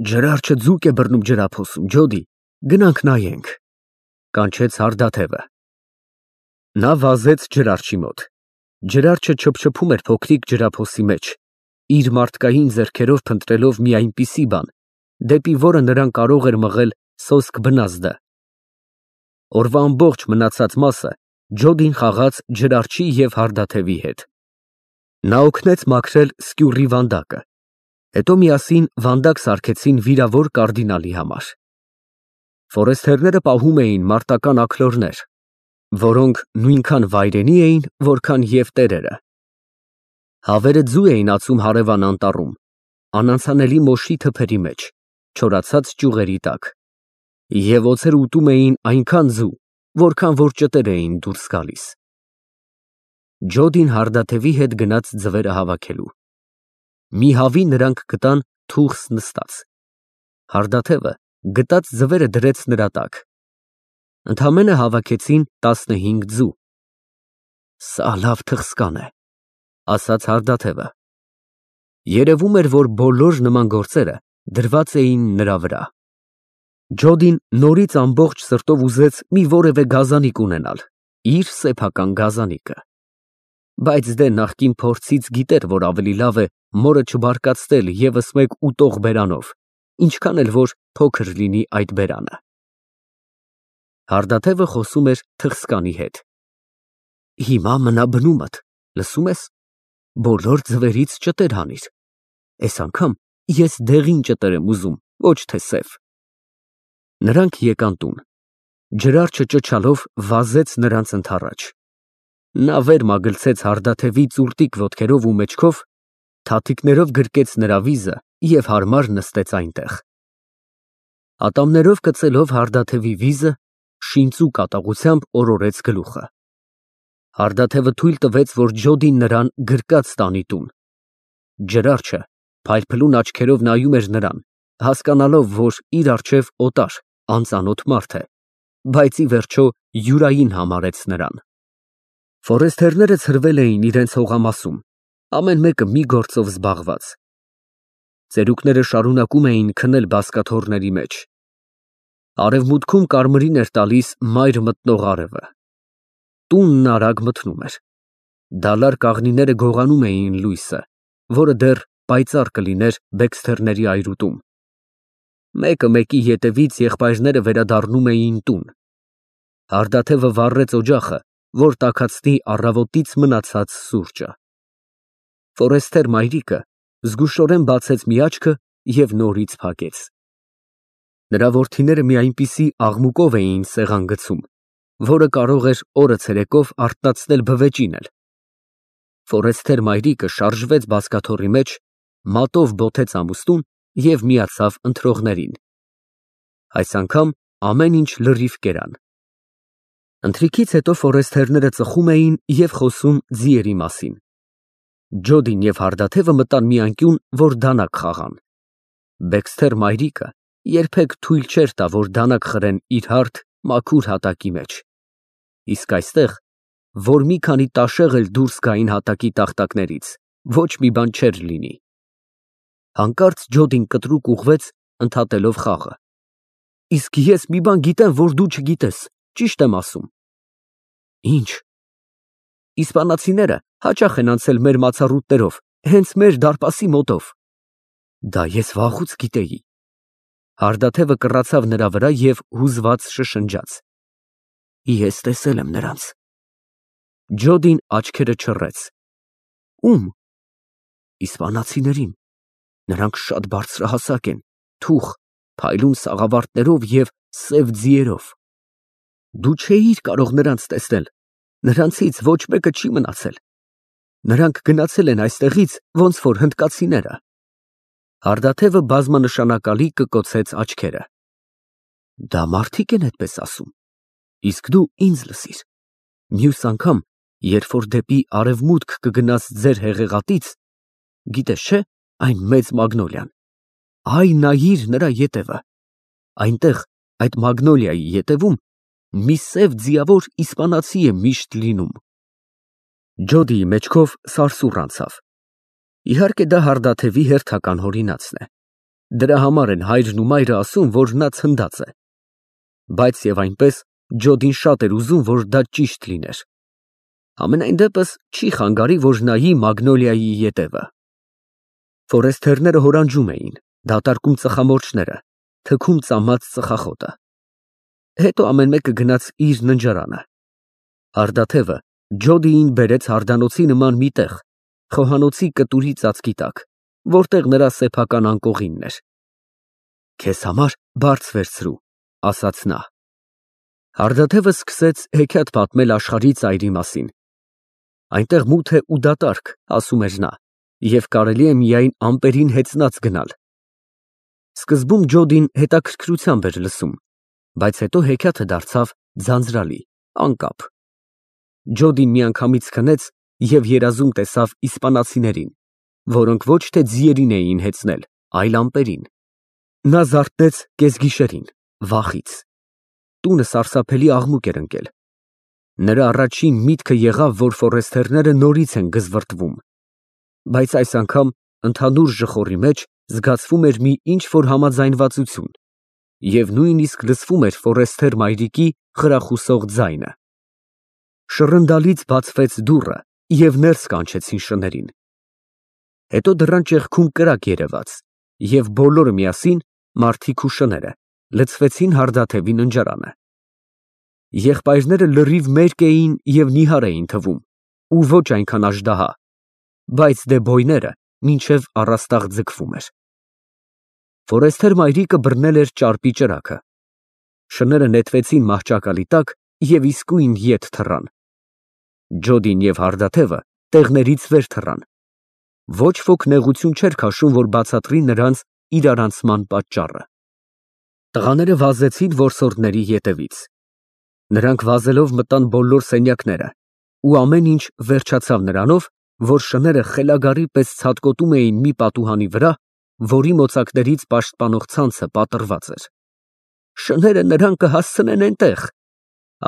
Ջրարչը ձուկ է բռնում ջրափոսում, Ջոդի, գնանք նայենք, կանչեց հարդաթևը։ Նա վազեց ջրարջի մոտ։ Ջրարջը չփչփում էր փոքրիկ ջրափոսի մեջ, իր մարդկային ձեռքերով փնտրելով մի այնպիսի բան, դեպի որը նրան կարող էր մղել սոսկ բնազդը։ Օրվա ամբողջ մնացած մասը Ջոդին խաղաց ջրարջի և հարդաթևի հետ։ Նա օգնեց մաքրել սկյուռի վանդակը, հետո միասին վանդակ սարքեցին վիրավոր կարդինալի համար։ Ֆորեստերները պահում էին մարտական աքլորներ, որոնք նույնքան վայրենի էին, որքան և տերերը։ Հավերը ձու էին ածում հարևան անտառում, անանցանելի մոշի թփերի մեջ, չորացած ճյուղերի տակ, և օձերը ուտում էին այնքան ձու, որքան որ ճտեր էին դուրս գալիս։ Ջոդին հարդաթևի հետ գնաց ձվերը հավաքելու։ Մի հավի նրանք գտան թուխս նստած։ Հարդաթևը գտած ձվերը դրեց նրա տակ։ Ընդամենը հավաքեցին 15 ձու։ Սա լավ թխսկան է, ասաց հարդաթևը։ Երևում էր, որ բոլոր նման գործերը դրված էին նրա վրա։ Ջոդին նորից ամբողջ սրտով ուզեց մի որևէ գազանիկ ունենալ, իր սեփական գազանիկը։ Բայց դե նախկին փորձից գիտեր, որ ավելի լավ է մորը չբարկացնել ևս մեկ ուտող բերանով, ինչքան էլ որ փոքր լինի այդ բերանը։ Հարդաթևը խոսում էր թխսկանի հետ։ Հիմա մնա բնումդ, լսում ես, բոլոր ձվերից ճտեր հանիր։ Այս անգամ ես դեղին ճտեր եմ ուզում, ոչ թե սև։ Նրանք եկան տուն։ Ջրարջը ճչալով վազեց նրանց ընդառաջ։ Նա վեր մագլցեց հարդաթևի ծուրտիկ ոտքերով ու մեջքով, թաթիկներով գրկեց նրա վիզը և հարմար նստեց այնտեղ։ Ատամներով կծելով հարդաթևի վիզը, շինծու կատաղությամբ օրորեց գլուխը։ Հարդաթևը թույլ տվեց, որ Ջոդին նրան գրկած տանի տուն։ Ջրարջը փայլփլուն աչքերով նայում էր նրան, հասկանալով, որ իր առջև օտար, անծանոթ մարդ է, բայց ի վերջո յուրային համարեց նրան։ Ֆորեստերները ցրվել էին իրենց հողամասում, ամեն մեկը մի գործով զբաղված։ Ծերուկները շարունակում էին քնել բազկաթոռների մեջ։ Արևմուտքում կարմիրին էր տալիս մայր մտնող արևը։ Տունն արագ մթնում էր։ Դալար կաղնիները գողանում էին լույսը, որը դեռ պայծառ կլիներ բեքսթերների այրուտում։ Մեկը մեկի ետևից եղբայրները վերադառնում էին տուն։ Հարդաթևը վառեց օջախը, որ տաքացնի առավոտից մնացած սուրճը։ Ֆորեստեր մայրիկը զգուշորեն բացեց մի աչքը և նորից փակեց։ Նրա որդիները մի այնպիսի աղմուկով էին սեղան գցում, որը կարող էր օրը ցերեկով արթնացնել բվեճին էլ։ Ֆորեստեր մայրիկը շարժվեց բազկաթոռի մեջ, մատով բոթեց ամուստուն և միացավ ընթրողներին։ Այս անգամ ամեն ինչ լրիվ կերան։ Ընթրիքից հետո ֆորեստերները ծխում էին և խոսում ձիերի մասին։ Ջոդին և հարդաթևը մտան մի անկյուն, որ դանակ խաղան։ Բեքսթեր մայրիկը երբեք թույլ չէր տա, որ դանակ խրեն իր հարթ, մաքուր հատակի մեջ։ Իսկ այստեղ, որ մի քանի տաշեղ էլ դուրս գային հատակի տախտակներից, ոչ մի բան չէր լինի։ Հանկարծ Ջոդին կտրուկ ուղղվեց, ընդհատելով խաղը։ Իսկ ես մի բան գիտեմ, որ դու չգիտես, ճիշտ եմ ասում։ Ինչ։ Իսպանացիները հաճախ են անցել մեր մացառուտներով, հենց մեր դարպասի մոտով։ Դա ես վաղուց գիտեի։ Հարդաթևը կռացավ նրա վրա և հուզված շշնջաց։ Ես տեսել եմ նրանց։ Ջոդին աչքերը չռեց։ Ում։ Իսպանացիներին։ Նրանք շատ բարձրահասակ են, թուխ, փայլուն սաղավարտներով և սև ձիերով։ Դու չէիր կարող նրանց տեսնել, նրանցից ոչ մեկը չի մնացել։ Նրանք գնացել են այստեղից ոնց որ հնդկացիները։ Հարդաթևը բազմանշանակալի կկոցեց աչքերը։ Դա մարդիկ են այդպես ասում։ Իսկ դու ինձ լսիր։ Մյուս անգամ, երբ որ դեպի արևմուտք կգնաս ձեր հեղեղատից, գիտես չէ, այն մեծ մագնոլիան, այ նայիր նրա ետևը։ Այնտեղ, այդ մագնոլիայի ետևում, մի սև ձիավոր իսպանացի է միշտ լինում։ Ջոդիի մեջքով սարսուռ անցավ։ Իհարկե դա հարդաթևի հերթական հորինածն է։ Դրա համար են հայրն ու մայրը ասում, որ նա ցնդած է։ Բայց եւ այնպես Ջոդին շատ էր ուզում, որ դա ճիշտ լիներ։ Համենայն դեպս չի խանգարի, որ նայի մագնոլիայի ետևը։ Ֆորեստերները հորանջում էին, դատարկում ծխամորճները, թքում ծամած ծխախոտը։ Հետո ամեն մեկը գնաց իր ննջարանը։ Հարդաթևը Ջոդիին բերեց հարդանոցի նման մի տեղ, խոհանոցի կտուրի ծածկի տակ, որտեղ նրա սեփական անկողինն էր։ Քեզ համար բարձ վերցրու, ասաց նա։ Հարդաթևը սկսեց հեքիաթ պատմել աշխարհի ծայրի մասին։ Այնտեղ մութ է ու դատարկ, ասում էր նա, և կարելի է միայն ամպերին հեծնած գնալ։ Սկզբում Ջոդին հետաքրքրությամբ էր լսում, բայց հետո հեքիաթը դարձավ ձանձրալի, անկապ։ Ջոդին միանգամից քնեց և երազում տեսավ իսպանացիներին, որոնք ոչ թե ձիերին էին հեծնել, այլ ամպերին։ Նա զարթնեց կեսգիշերին, վախից։ Տունը սարսափելի աղմուկ էր ընկել։ Նրա առաջին միտքը եղավ, որ ֆորեստերները նորից են գզվռտվում, բայց այս անգամ ընդհանուր ժխորի մեջ զգացվում էր մի ինչ-որ համաձայնվածություն, և նույնիսկ լսվում էր ֆորեստեր մայրիկի խրախուսող ձայնը։ Շռնդալից բացվեց դուռը, և ներս կանչեցին շներին։ Հետո դռան ճեղքում կրակ երևաց, և բոլորը միասին, մարդիկ ու շները, լցվեցին հարդաթևի ննջարանը։ Եղբայրները լրիվ մերկ էին և նիհար էին թվում, ու ոչ այնքան աժդահա, բայց դեբոյները մինչև առաստաղ ձգվում էր։ Ֆորեստեր մայրիկը բռնել էր ճարպի ճրագը։ Շները նետվեցին մահճակալի տակ և իսկույն ետ թռան։ Ջոդին և հարդաթևը տեղներից վեր թռան։ Ոչ ոք նեղություն չէր քաշում, որ բացատրի նրանց իրարանցման պատճառը։ Տղաները վազեցին որսորդների ետևից։ Նրանք վազելով մտան բոլոր սենյակները, ու ամեն ինչ վերջացավ նրանով, որ շները խելագարի պես ցատկոտում էին մի պատուհանի վրա, որի մոծակներից պաշտպանող ցանցը պատռված էր։ Շները նրան կհասցնեն էնտեղ,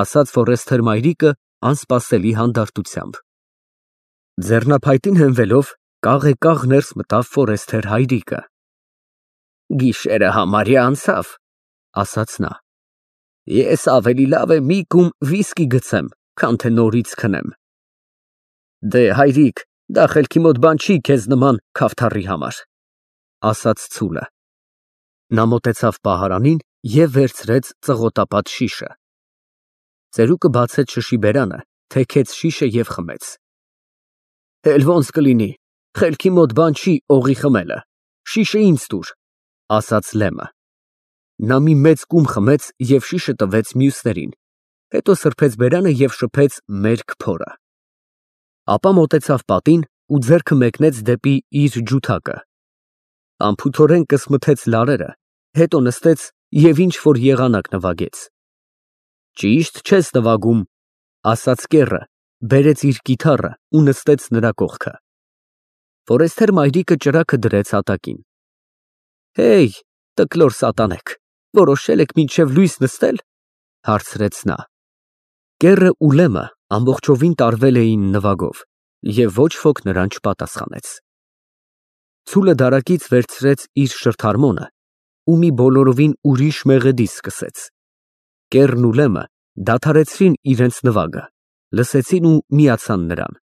ասաց ֆորեստեր մայրիկը անսպասելի հանդարտությամբ։ Ձեռնափայտին հենվելով, կաղեկաղ ներս մտավ ֆորեստեր հայրիկը։ Գիշերը համարյա անցավ, ասաց նա։ Ես ավելի լավ է մի կում վիսկի գցեմ, քան թե նորից քնեմ։ Դե հայրիկ, դա խելքի մոտ բան չի քեզ նման քավթառի համար, ասաց ցուլը։ Նա մոտեցավ պահարանին և վերցրեց ծղոտապատ շիշը։ Ծերուկը բացեց շշի բերանը, թեքեց շիշը և խմեց։ Էլ ոնց կլինի, խելքի մոտ բան չի օղի խմելը, շիշը ինձ տուր, ասաց Լեմը։ Նա մի մեծ կում խմեց և շիշը տվեց մյուսներին, հետո սրբեց բերանը և շփեց մերկ փորը։ Ապա մոտեցավ պատին ու ձեռքը մեկնեց դեպի իր ջութակը։ Անփութորեն կսմթեց լարերը, հետո նստեց և ինչ֊որ եղանակ նվագեց։ Ճիշտ չես նվագում, ասաց կեռը, բերեց իր կիթառը ու նստեց նրա կողքը։ Ֆորեստեր մայրիկը ճրագը դրեց հատակին։ Հեյ, տկլոր սատանեք, որոշել եք մինչև լույս նստել, հարցրեց նա։ Կեռը ու Լեմը ամբողջովին տարվել էին նվագով, և ոչ ոք նրան չպատասխանեց։ Ցուլը դարակից վերցրեց իր շրթարմոնը ու մի բոլորովին ուրիշ մեղեդի սկսեց։ Կեռն ու Լեմը դադարեցրին իրենց նվագը, լսեցին ու միացան նրան։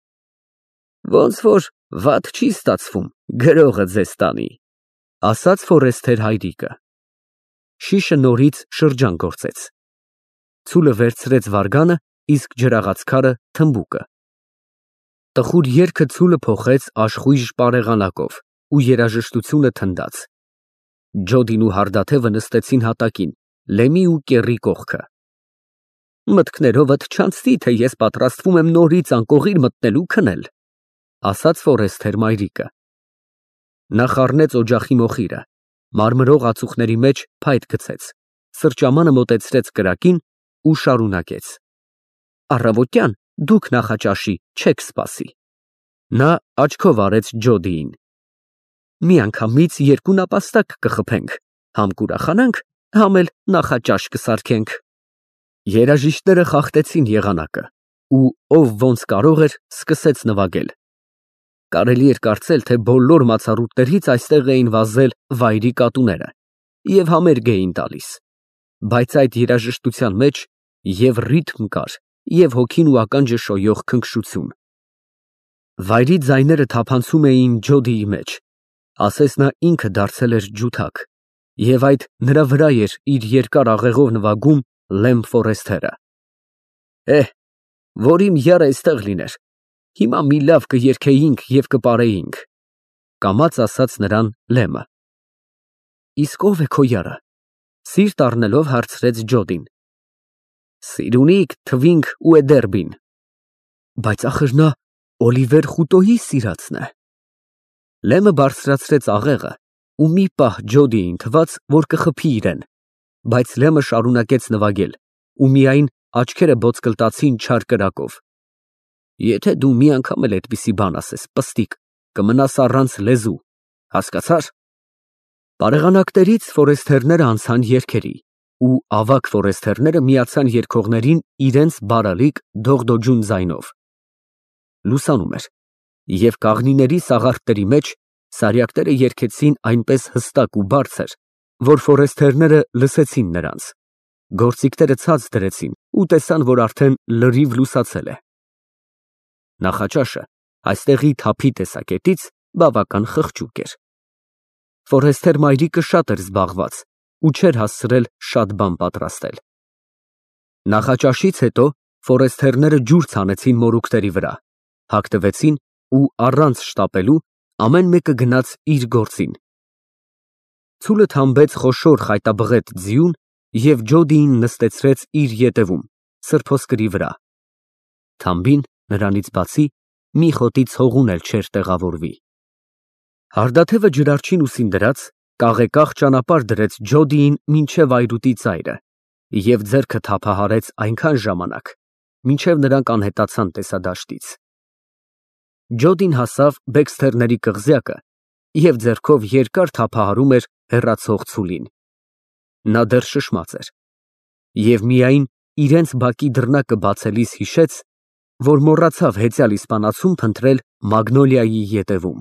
Ոնց որ վատ չի ստացվում, գրողը ձեզ տանի, ասաց ֆորեստեր հայրիկը։ Շիշը նորից շրջան գործեց։ Ցուլը վերցրեց վարգանը, իսկ ջրաղացքարը թմբուկը։ Տխուր երգը ցուլը փոխեց աշխույժ պարեղանակով ու երաժշտությունը թնդաց։ Ջոդին ու հարդաթևը նստեցին հատակին, Լեմի ու կեռի կողքը։ Մտքներովդ չանցնի, թե ես պատրաստվում եմ նորից անկողին մտնել ու քնել, ասաց ֆորեստեր մայրիկը։ Նա խառնեց օջախի մոխիրը, մարմրող ածուխների մեջ փայտ գցեց, սրճամանը մոտեցրեց կրակին ու շարունակեց. Առավոտյան դուք նախաճաշի չեք սպասի։ Նա աչքով արեց Ջոդիին։ Միանգամից երկու նապաստակ կխփենք, համ կուրախանանք, համ էլ նախաճաշ կսարքենք։ Երաժիշտները խախտեցին եղանակը, ու ով ոնց կարող էր, սկսեց նվագել։ Կարելի էր կարծել, թե բոլոր մացառուտներից այստեղ էին վազել վայրի կատուները և համերգ էին տալիս, բայց այդ երաժշտության մեջ և ռիթմ կար, և հոգին ու ականջը շոյող քնքշություն։ Վայրի ձայները թափանցում էին Ջոդիի մեջ, ասես նա ինքը դարձել էր ջութակ, և այդ նրա վրա էր իր երկար աղեղով նվագում Լեմ Ֆորեսթերը։ Որ իմ եռը այստեղ լիներ, հիմա մի լավ կերգեինք և կպարեինք, կամաց ասաց նրան Լեմը։ Իսկ ո՞վ է քո եռը, սիրտ առնելով հարցրեց Ջոդին։ Սիրունիկ Թվինք Ուեդերբին։ Բայց ախր նա Օլիվեր Խուտոյի սիրածն է։ Լեմը բարձրացրեց աղեղը ու մի պահ Ջոդիին թվաց, որ կխփի իրեն, բայց Լեմը շարունակեց նվագել ու միայն աչքերը ոտկլտացին չար կրակով։ Եթե դու մի անգամ էլ այդպիսի բան ասես, պստիկ, կմնաս առանց լեզու, հասկացա՞ր։ Բարեղանակներից ֆորեսթերները անցան երգերի, ու ավագ ֆորեսթերները միացան երգողներին իրենց բարալիկ դողդոջուն ձայնով։ Լուսանում էր, և կաղնիների սաղարթների մեջ սարյակները երգեցին այնպես հստակ ու բարձր, որ ֆորեսթերները լսեցին նրանց, գործիքները ցած դրեցին ու տեսան, որ արդեն լրիվ լուսացել է։ Նախաճաշը այստեղի թափի տեսակետից բավական խղճուկ էր։ Ֆորեսթեր մայրիկը շատ էր զբաղված ու չէր հասցրել շատ բան պատրաստել։ Նախաճաշից հետո ֆորեսթերները ջուր ցանեցին մորուքների վրա, հագնվեցին ու առանց շտապելու ամեն մեկը գնաց իր գործին։ Ցուլը թամբեց խոշոր խայտաբղետ ձիուն և Ջոդիին նստեցրեց իր ետևում, սրբոսկրի վրա։ Թամբին, նրանից բացի, մի խոտի ցողուն էլ չէր տեղավորվի։ Հարդաթևը ջրարջին ուսին դրած, կաղեկաղ ճանապարհ դրեց Ջոդիին մինչև այրուտի ծայրը և ձեռքը թափահարեց այնքան ժամանակ, մինչև նրանք անհետացան տեսադաշտից։ Ջոդին հասավ Բեքսթերների կղզյակը և ձեռքով երկար թափահարում էր հեռացող ցուլին։ Նա դեռ շշմած էր և միայն իրենց բակի դռնակը բացելիս հիշեց, որ մոռացավ հեծյալ իսպանացում փնտրել Մագնոլիայի ետևում։